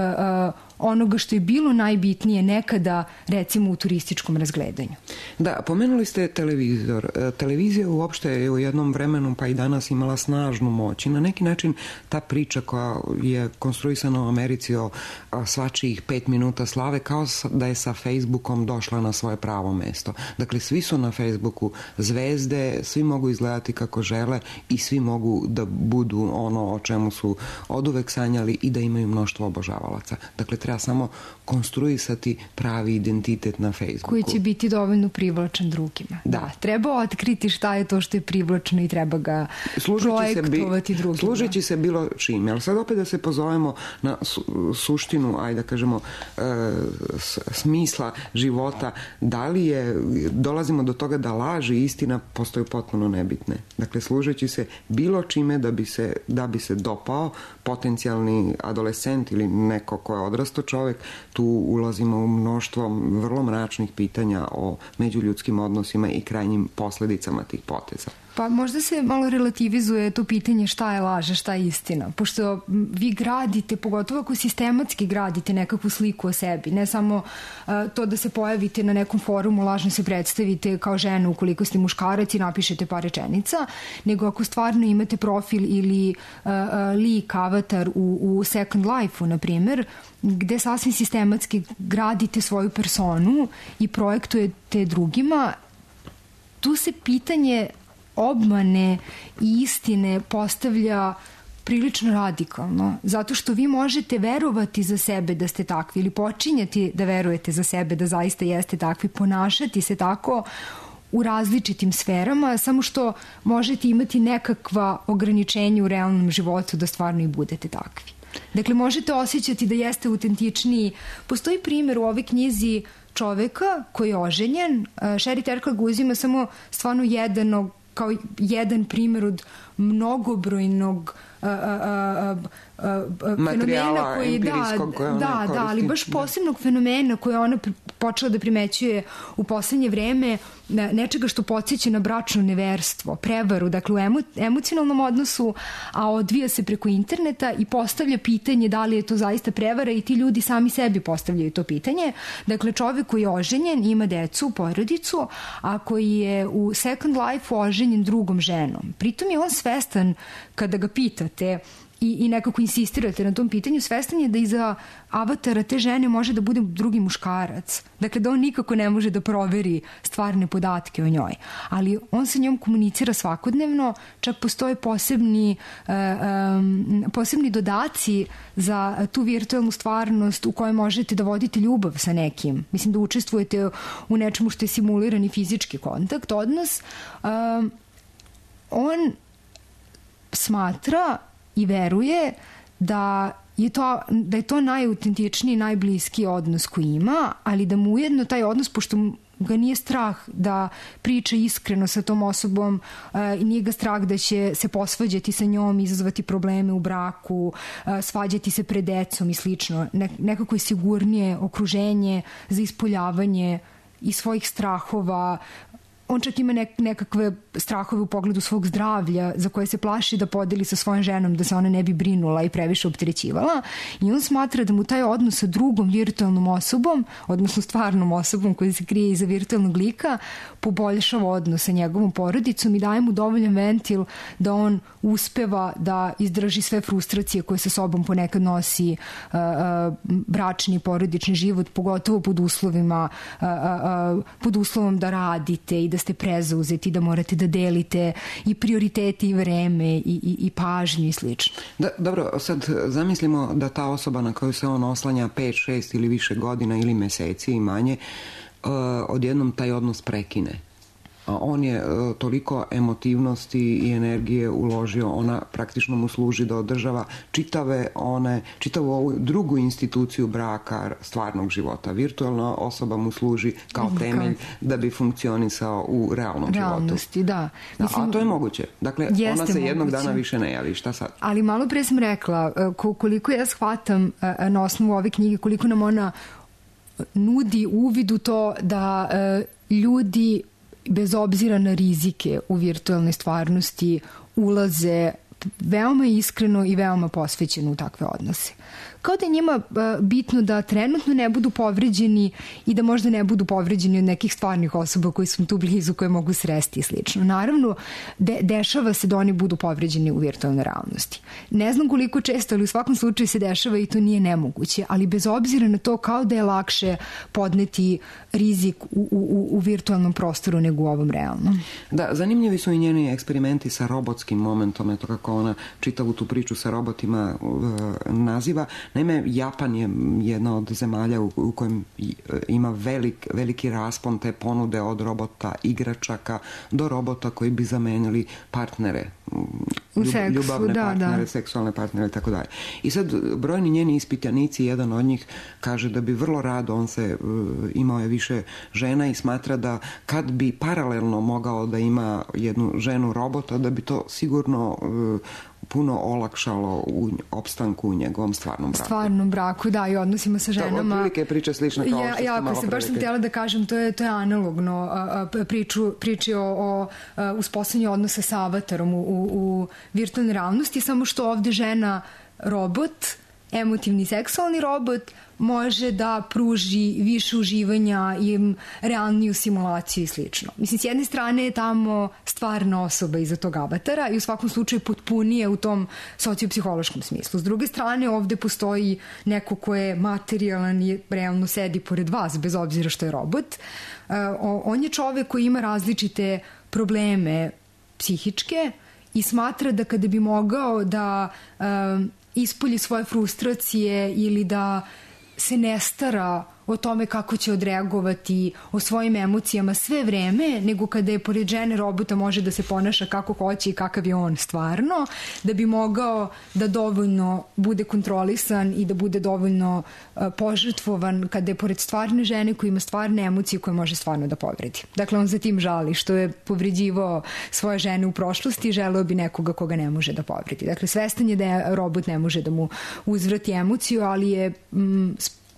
uh, onoga što je bilo najbitnije nekada, recimo u turističkom razgledanju. Da, pomenuli ste televizor. Televizija uopšte je u jednom vremenu pa i danas imala snažnu moć i na neki način ta priča koja je konstruisana u Americi o svačijih pet minuta slave kao da je sa Facebookom došla na svoje pravo mesto. Dakle, svi su na Facebooku zvezde, svi mogu izgledati kako žele i svi mogu da budu ono o čemu su oduvek sanjali i da imaju mnoštvo obožavalaca. Dakle, treba samo konstruisati pravi identitet na Facebooku. Koji će biti dovoljno privlačan drugima. Da. da. Treba otkriti šta je to što je privlačno i treba ga služeći projektovati drugima. Služeći se bilo čime. Ali sad opet da se pozovemo na su, suštinu, ajde da kažemo, e, smisla života. Da li je, dolazimo do toga da laž i istina postaju potpuno nebitne. Dakle, služeći se bilo čime da bi se, da bi se dopao potencijalni adolescent ili neko ko je odrastao čovek, tu ulazimo u mnoštvo vrlo mračnih pitanja o međuljudskim odnosima i krajnjim posledicama tih poteza. Pa možda se malo relativizuje to pitanje šta je laž, šta je istina. Pošto vi gradite, pogotovo ako sistematski gradite nekakvu sliku o sebi, ne samo uh, to da se pojavite na nekom forumu, lažno se predstavite kao žena ukoliko ste muškarac i napišete par rečenica, nego ako stvarno imate profil ili uh, uh, lik, avatar u, u Second Life-u, na primjer, gde sasvim sistematski gradite svoju personu i projektujete drugima, tu se pitanje obmane i istine postavlja prilično radikalno, zato što vi možete verovati za sebe da ste takvi ili počinjati da verujete za sebe da zaista jeste takvi, ponašati se tako u različitim sferama, samo što možete imati nekakva ograničenja u realnom životu da stvarno i budete takvi. Dakle, možete osjećati da jeste autentičniji. Postoji primjer u ovoj knjizi čoveka koji je oženjen. Sherry Terkel ga uzima samo stvarno jedan, kao jedan primjer od mnogobrojnog a, a, a, a, materijala koji, empirijskog koje ona da, koristi. Da, ali baš posebnog fenomena koje ona počela da primećuje u poslednje vreme nečega što podsjeća na bračno neverstvo, prevaru, dakle u emo, emocionalnom odnosu, a odvija se preko interneta i postavlja pitanje da li je to zaista prevara i ti ljudi sami sebi postavljaju to pitanje. Dakle, čovek koji je oženjen, ima decu, porodicu, a koji je u Second Life oženjen drugom ženom. Pritom je on svestan, kada ga pitate i, i nekako insistirate na tom pitanju, svestan je da iza avatara te žene može da bude drugi muškarac. Dakle, da on nikako ne može da proveri stvarne podatke o njoj. Ali on sa njom komunicira svakodnevno, čak postoje posebni, uh, um, posebni dodaci za tu virtualnu stvarnost u kojoj možete da vodite ljubav sa nekim. Mislim da učestvujete u nečemu što je simulirani fizički kontakt, odnos. Um, on smatra i veruje da je to, da je to najautentičniji, najbliskiji odnos koji ima, ali da mu ujedno taj odnos, pošto ga nije strah da priča iskreno sa tom osobom i nije ga strah da će se posvađati sa njom, izazvati probleme u braku, svađati se pred decom i slično. Nekako je sigurnije okruženje za ispoljavanje i svojih strahova. On čak ima nek- nekakve strahove u pogledu svog zdravlja za koje se plaši da podeli sa svojom ženom, da se ona ne bi brinula i previše opterećivala. I on smatra da mu taj odnos sa drugom virtualnom osobom, odnosno stvarnom osobom koja se krije iza virtualnog lika, poboljšava odnos sa njegovom porodicom i daje mu dovoljan ventil da on uspeva da izdrži sve frustracije koje sa sobom ponekad nosi uh, uh, bračni i porodični život, pogotovo pod uslovima, uh, uh, pod uslovom da radite i da ste prezauzeti, da morate da delite i prioriteti i vreme i, i, i pažnju i slično. Da, dobro, sad zamislimo da ta osoba na koju se on oslanja pet, šest ili više godina ili meseci i manje, uh, odjednom taj odnos prekine. A on je uh, toliko emotivnosti i energije uložio, ona praktično mu služi da održava čitave one, čitavu ovu drugu instituciju braka, stvarnog života. Virtualna osoba mu služi kao temelj da bi funkcionisao u realnom realnosti, životu. Da. Da, a to je moguće. Dakle, ona se jednog moguće. dana više ne javi. Šta sad? Ali malo pre sam rekla, koliko ja shvatam na osnovu ove knjige, koliko nam ona nudi uvid u to da ljudi bez obzira na rizike u virtualnoj stvarnosti ulaze veoma iskreno i veoma posvećeno u takve odnose. Kao da je njima bitno da trenutno ne budu povređeni i da možda ne budu povređeni od nekih stvarnih osoba koji su tu blizu, koje mogu sresti i slično. Naravno, de, dešava se da oni budu povređeni u virtualnoj realnosti. Ne znam koliko često, ali u svakom slučaju se dešava i to nije nemoguće, ali bez obzira na to kao da je lakše podneti rizik u, u, u virtualnom prostoru nego u ovom realnom. Da, zanimljivi su i njeni eksperimenti sa robotskim momentom, eto kako ona čitavu tu priču sa robotima uh, naziva. Naime, Japan je jedna od zemalja u, u kojem ima velik, veliki raspon te ponude od robota igračaka do robota koji bi zamenili partnere, u seksu, ljubavne da, partnere, da. seksualne partnere i tako dalje. I sad brojni njeni ispitanici, jedan od njih kaže da bi vrlo rado, on se imao je više žena i smatra da kad bi paralelno mogao da ima jednu ženu robota, da bi to sigurno puno olakšalo u opstanku u njegovom stvarnom braku. Stvarnom braku, da, i odnosima sa ženama. To otprilike priča slična kao ja, što ja, ste malo se baš sam htjela da kažem, to je, to je analogno a, a, priču, priči o, o uspostavljanju odnosa sa avatarom u, u, u virtualnoj realnosti, samo što ovde žena robot, emotivni seksualni robot, može da pruži više uživanja i realniju simulaciju i slično. Mislim, s jedne strane je tamo stvarna osoba iza tog avatara i u svakom slučaju potpunije u tom sociopsihološkom smislu. S druge strane, ovde postoji neko ko je materijalan i realno sedi pored vas, bez obzira što je robot. Uh, on je čovek koji ima različite probleme psihičke i smatra da kada bi mogao da uh, ispolji svoje frustracije ili da se ne stara o tome kako će odreagovati, o svojim emocijama sve vreme, nego kada je pored žene robota može da se ponaša kako hoće i kakav je on stvarno, da bi mogao da dovoljno bude kontrolisan i da bude dovoljno uh, požrtvovan kada je pored stvarne žene koja ima stvarne emocije koje može stvarno da povredi. Dakle, on za tim žali što je povređivao svoje žene u prošlosti i želeo bi nekoga koga ne može da povredi. Dakle, svestan je da je robot ne može da mu uzvrati emociju, ali je mm,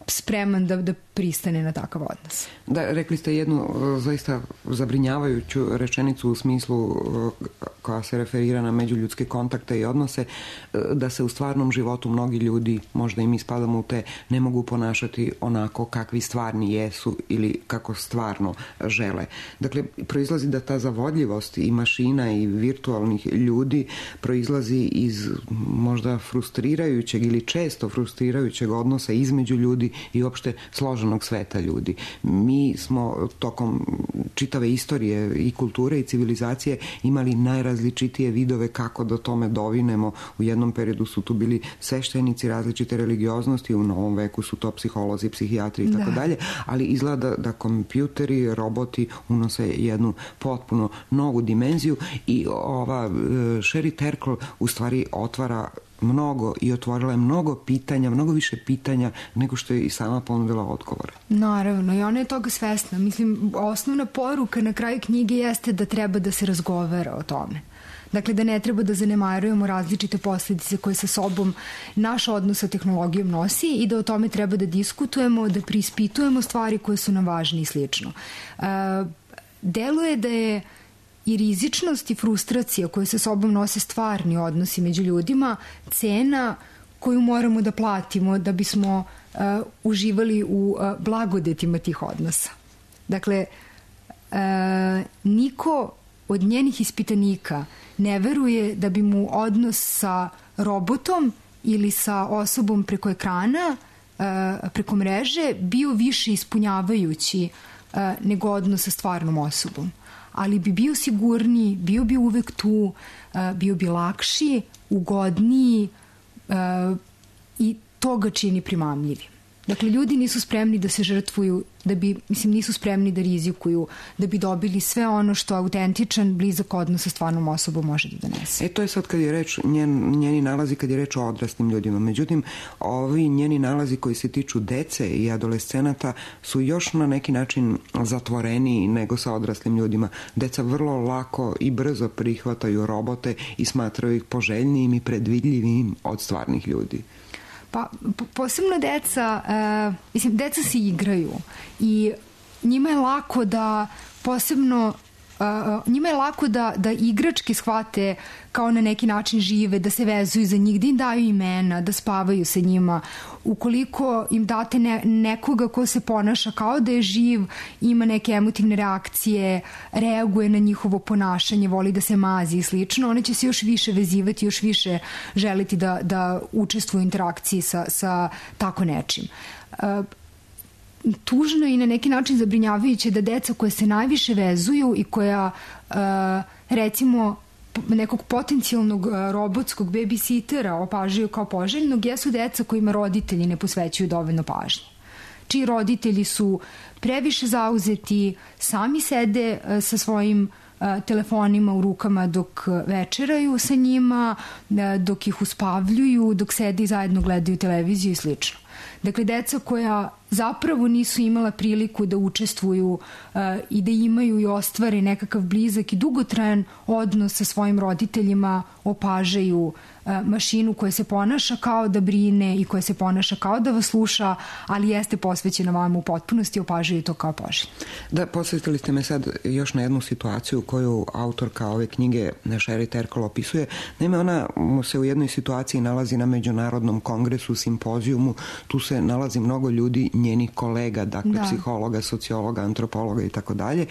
spreman da, da pristane na takav odnos. Da, rekli ste jednu zaista zabrinjavajuću rečenicu u smislu koja se referira na međuljudske kontakte i odnose, da se u stvarnom životu mnogi ljudi, možda i mi spadamo u te, ne mogu ponašati onako kakvi stvarni jesu ili kako stvarno žele. Dakle, proizlazi da ta zavodljivost i mašina i virtualnih ljudi proizlazi iz možda frustrirajućeg ili često frustrirajućeg odnosa između ljudi i uopšte složenog sveta ljudi. Mi smo tokom čitave istorije i kulture i civilizacije imali najrazličitije vidove kako do tome dovinemo. U jednom periodu su tu bili sveštenici različite religioznosti, u novom veku su to psiholozi, psihijatri i tako dalje, ali izgleda da, da kompjuteri, roboti unose jednu potpuno novu dimenziju i ova Sherry Turkle u stvari otvara mnogo i otvorila je mnogo pitanja, mnogo više pitanja nego što je i sama ponudila odgovore. Naravno, i ona je toga svesna. Mislim, osnovna poruka na kraju knjige jeste da treba da se razgovara o tome. Dakle, da ne treba da zanemarujemo različite posljedice koje sa sobom naš odnos sa tehnologijom nosi i da o tome treba da diskutujemo, da preispitujemo stvari koje su nam važne i slično. Uh, deluje da je i rizičnost i frustracija koje sa sobom nose stvarni odnosi među ljudima, cena koju moramo da platimo da bismo uh, uživali u uh, blagodetima tih odnosa. Dakle, uh, niko od njenih ispitanika ne veruje da bi mu odnos sa robotom ili sa osobom preko ekrana, uh, preko mreže, bio više ispunjavajući uh, nego odnos sa stvarnom osobom. Ali bi bio sigurniji, bio bi uvek tu, bio bi lakši, ugodniji i to ga čini primamljivim. Dakle, ljudi nisu spremni da se žrtvuju, da bi, mislim, nisu spremni da rizikuju, da bi dobili sve ono što autentičan, blizak odnos sa stvarnom osobom može da donese. E, to je sad kad je reč, njen, njeni nalazi kad je reč o odraslim ljudima. Međutim, ovi njeni nalazi koji se tiču dece i adolescenata su još na neki način zatvoreniji nego sa odraslim ljudima. Deca vrlo lako i brzo prihvataju robote i smatraju ih poželjnijim i predvidljivim od stvarnih ljudi. Pa, posebno deca, uh, mislim, deca se igraju i njima je lako da posebno, uh, njima je lako da, da igračke shvate kao na neki način žive, da se vezuju za njih, da im daju imena, da spavaju sa njima. Ukoliko im date ne, nekoga ko se ponaša kao da je živ, ima neke emotivne reakcije, reaguje na njihovo ponašanje, voli da se mazi i slično, one će se još više vezivati, još više želiti da, da učestvuju u interakciji sa, sa tako nečim. Uh, tužno i na neki način zabrinjavajuće da deca koje se najviše vezuju i koja uh, recimo nekog potencijalnog robotskog babysitera opažaju kao poželjnog, jesu deca kojima roditelji ne posvećuju dovoljno pažnje. Čiji roditelji su previše zauzeti, sami sede sa svojim telefonima u rukama dok večeraju sa njima, dok ih uspavljuju, dok sede i zajedno gledaju televiziju i slično. Dakle, deca koja zapravo nisu imala priliku da učestvuju uh, i da imaju i ostvare nekakav blizak i dugotrajan odnos sa svojim roditeljima, opažaju uh, mašinu koja se ponaša kao da brine i koja se ponaša kao da vas sluša, ali jeste posvećena vama u potpunosti i opažaju to kao poželjno. Da, posvetili ste me sad još na jednu situaciju koju autorka ove knjige Sherry Turkle opisuje. Naime, ona se u jednoj situaciji nalazi na Međunarodnom kongresu, simpozijumu, tu se nalazi mnogo ljudi, njenih kolega, dakle da. Psihologa, sociologa, antropologa i tako dalje,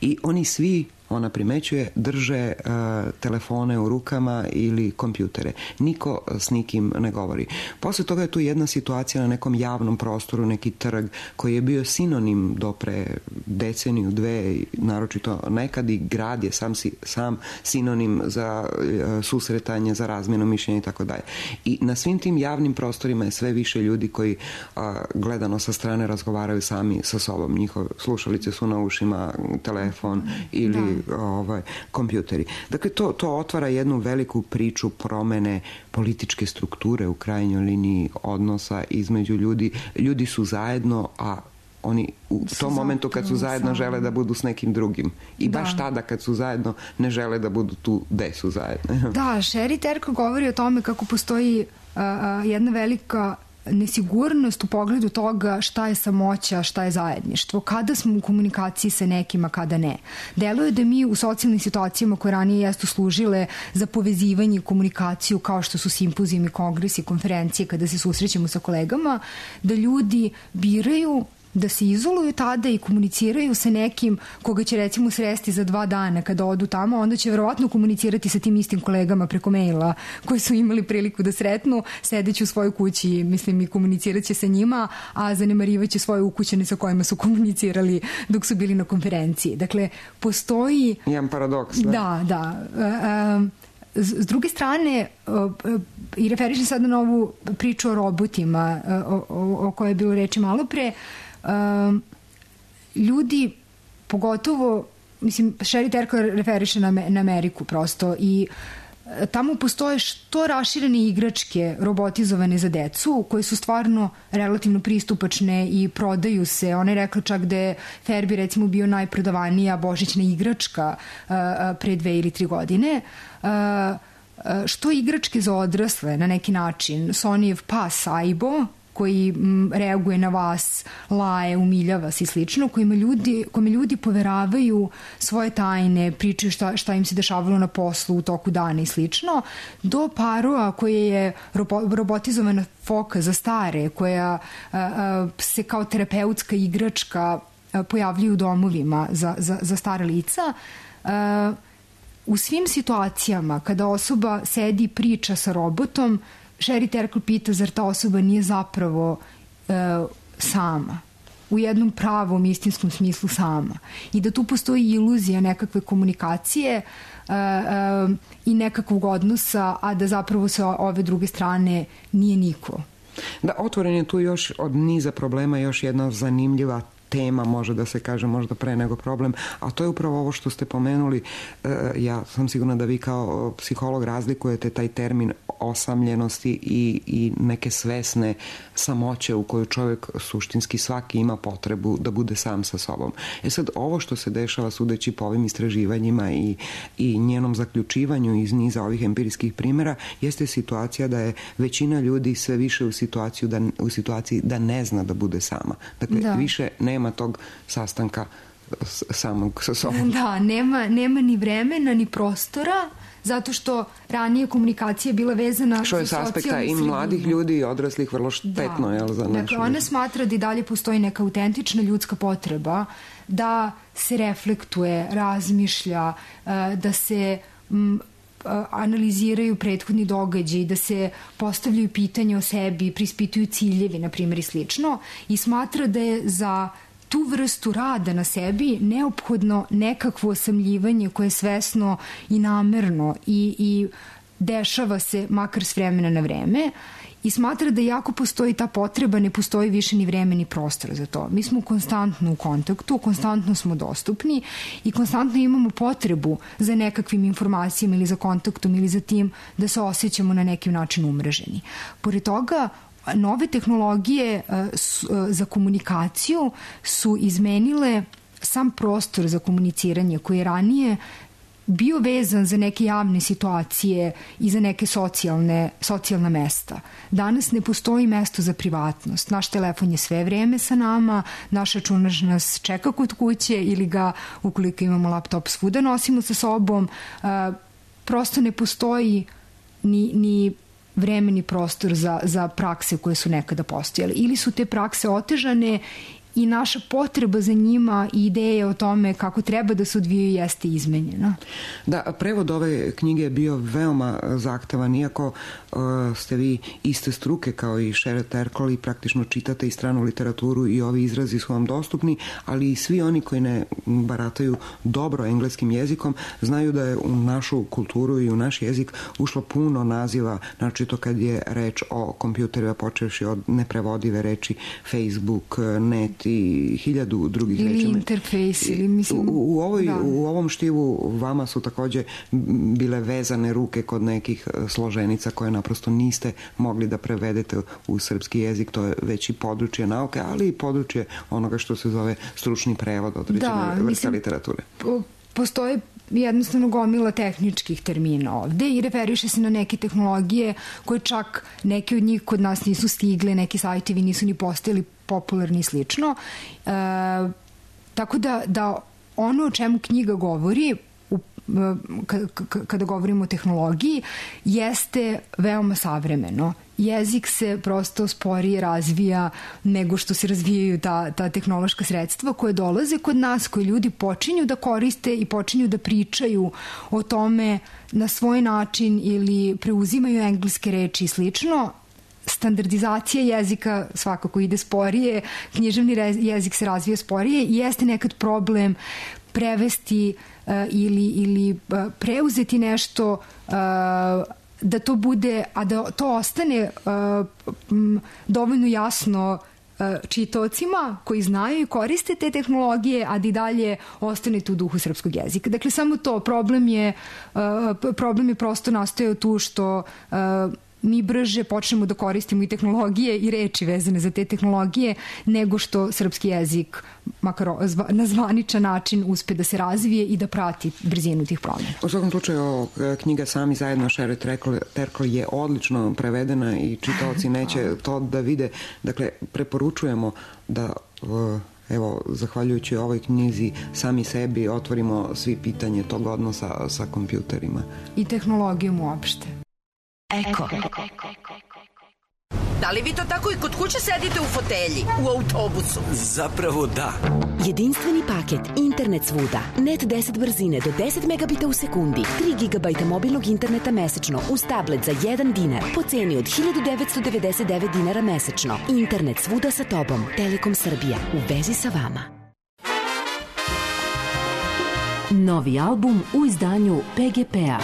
i oni svi, ona primećuje, drže uh, telefone u rukama ili kompjutere. Niko s nikim ne govori. Posle toga je tu jedna situacija na nekom javnom prostoru, neki trg koji je bio sinonim do pre deceniju, dve, naročito nekad, i grad je sam, sam sinonim za uh, susretanje, za razmjenu mišljenja i tako dalje. I na svim tim javnim prostorima je sve više ljudi koji uh, gledano sa strane razgovaraju sami sa sobom. Njihove slušalice su na ušima, telefon ili da. Ovaj, kompjuteri. Dakle, to, to otvara jednu veliku priču promene političke strukture u krajnjoj liniji odnosa između ljudi. Ljudi su zajedno, a oni u tom momentu kad su zajedno žele da budu s nekim drugim. I da. Baš tada kad su zajedno ne žele da budu tu gde su zajedno. Da, Sherry Turkle govori o tome kako postoji uh, jedna velika nesigurnost u pogledu toga šta je samoća, šta je zajedništvo, kada smo u komunikaciji sa nekima, kada ne. Deluje da mi u socijalnim situacijama koje ranije jesu služile za povezivanje i komunikaciju, kao što su simpozijumi, kongresi, konferencije, kada se susrećemo sa kolegama, da ljudi biraju da se izoluju tada i komuniciraju sa nekim koga će recimo sresti za dva dana kada odu tamo, onda će verovatno komunicirati sa tim istim kolegama preko maila koji su imali priliku da sretnu, sedeći u svojoj kući, mislim, i komunicirat će sa njima, a zanemarivaće svoje ukućane sa kojima su komunicirali dok su bili na konferenciji. Dakle, postoji... Jedan paradoks, da? Da, da. S druge strane, i referišem sada na ovu priču o robotima o, o, o kojoj je bilo reči malo pre, Um, ljudi, pogotovo, mislim, Sherry Turkle referiše na, na Ameriku prosto i tamo postoje što raširene igračke robotizovane za decu koje su stvarno relativno pristupačne i prodaju se. Ona je rekla čak da je Furby recimo bio najprodavanija božićna igračka uh, pre dve ili tri godine. Uh, što igračke za odrasle na neki način, Sonyjev pas Aibo koji m, reaguje na vas, laje, umiljava se i slično, kojima ljudi, kojima ljudi poveravaju svoje tajne, pričaju šta, šta im se dešavalo na poslu u toku dana i slično, do parova koje je robo, robotizovana foka za stare, koja a, a, se kao terapeutska igračka a, pojavljuju u domovima za, za, za stare lica. A, u svim situacijama kada osoba sedi i priča sa robotom, Sherry Turkle pita zar ta osoba nije zapravo e, sama, u jednom pravom istinskom smislu sama, i da tu postoji iluzija nekakve komunikacije e, e, i nekakvog odnosa, a da zapravo sa ove druge strane nije niko. Da, otvoren je tu još od niza problema još jedna zanimljiva tema, može da se kaže, možda pre nego problem, a to je upravo ovo što ste pomenuli. Ja sam sigurna da vi kao psiholog razlikujete taj termin osamljenosti i, i neke svesne samoće u kojoj čovjek suštinski svaki ima potrebu da bude sam sa sobom. E sad, ovo što se dešava sudeći po ovim istraživanjima i, i njenom zaključivanju iz niza ovih empirijskih primjera jeste situacija da je većina ljudi sve više u, situaciju da, u situaciji da ne zna da bude sama. Dakle, da. više nema tog sastanka samog sa sobom. Da, nema, nema ni vremena, ni prostora, zato što ranije komunikacija bila vezana što je s aspekta i mladih ljudi i odraslih vrlo štetno, da. Jel, za našu. Dakle, ona smatra da i dalje postoji neka autentična ljudska potreba da se reflektuje, razmišlja, da se m, analiziraju prethodni događaji, da se postavljaju pitanja o sebi, prispituju ciljevi, na primjer, i slično, i smatra da je za tu vrstu rada na sebi neophodno nekakvo osamljivanje koje je svesno i namerno i, i dešava se makar s vremena na vreme, i smatra da jako postoji ta potreba, ne postoji više ni vreme ni prostor za to. Mi smo konstantno u kontaktu, konstantno smo dostupni i konstantno imamo potrebu za nekakvim informacijama ili za kontaktom ili za tim da se osjećamo na neki način umreženi. Pored toga, nove tehnologije za komunikaciju su izmenile sam prostor za komuniciranje koji je ranije bio vezan za neke javne situacije i za neke socijalne, socijalna mesta. Danas ne postoji mesto za privatnost. Naš telefon je sve vreme sa nama, naš računar nas čeka kod kuće ili ga, ukoliko imamo laptop, svuda nosimo sa sobom. Prosto ne postoji ni, ni vremeni prostor za, za prakse koje su nekada postojale. Ili su te prakse otežane i naša potreba za njima i ideje o tome kako treba da se odvijaju jeste izmenjena. Da, prevod ove knjige je bio veoma zahtevan, iako uh, ste vi iste struke kao i Sherry Turkle i praktično čitate i stranu literaturu i ovi izrazi su vam dostupni, ali i svi oni koji ne barataju dobro engleskim jezikom znaju da je u našu kulturu i u naš jezik ušlo puno naziva, znači to kad je reč o kompjuterima, počevši od neprevodive reči Facebook, net i hiljadu drugih ili reči. Ili interfejs, ili mislim... U, u, ovoj, u ovom štivu vama su takođe bile vezane ruke kod nekih složenica koje naprosto niste mogli da prevedete u srpski jezik, to je već i područje nauke, ali i područje onoga što se zove stručni prevod određene da, vrste mislim, literature. Po, postoje jednostavno gomila tehničkih termina ovde i referiše se na neke tehnologije koje čak neke od njih kod nas nisu stigle, neki sajtevi nisu ni postojali popularni i slično. E, tako da, da ono o čemu knjiga govori kada govorimo o tehnologiji jeste veoma savremeno. Jezik se prosto sporije razvija nego što se razvijaju ta, ta tehnološka sredstva koje dolaze kod nas, koje ljudi počinju da koriste i počinju da pričaju o tome na svoj način ili preuzimaju engleske reči i slično. Standardizacija jezika svakako ide sporije, književni jezik se razvija sporije i jeste nekad problem prevesti uh, ili, ili uh, preuzeti nešto uh, da to bude, a da to ostane uh, m, dovoljno jasno uh, čitaocima koji znaju i koriste te tehnologije, a da i dalje ostane tu u duhu srpskog jezika. Dakle, samo to, problem je, uh, problem je prosto nastojao tu što uh, mi brže počnemo da koristimo i tehnologije i reči vezane za te tehnologije nego što srpski jezik makar na zvaničan način uspe da se razvije i da prati brzinu tih promjena. U svakom slučaju, knjiga Sami zajedno Sherry Turkle je odlično prevedena i čitaoci neće to da vide. Dakle, preporučujemo da evo, zahvaljujući ovoj knjizi sami sebi otvorimo svi pitanje tog odnosa sa kompjuterima. I tehnologijom uopšte. Eko. Da li vi to tako i kod kuće sedite u fotelji, u autobusu? Zapravo da. Jedinstveni paket, internet svuda, net deset brzine do deset megabita u sekundi, tri gigabajta mobilnog interneta mesečno uz tablet za jedan dinar po ceni od hiljadu devetsto devedeset devet dinara mesečno. Internet svuda sa tobom. Telekom Srbija. U vezi sa vama. Novi album u izdanju P G P-a.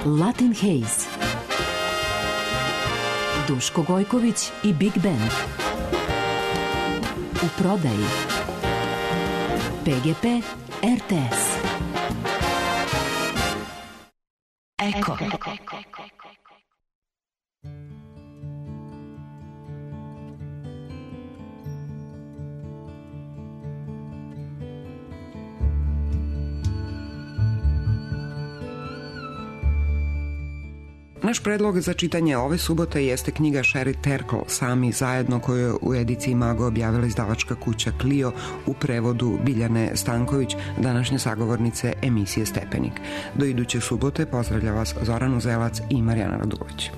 Latin Haze. Duško Gojković i Big Band. U prodaji P G P R T S. Eko. Naš predlog za čitanje ove subote jeste knjiga Sherry Turkle Sami zajedno, koju je u ediciji Mago objavila izdavačka kuća Clio u prevodu Biljane Stanković, današnje sagovornice emisije Stepenik. Do iduće subote pozdravlja vas Zoran Uzelac i Marijana Radulović.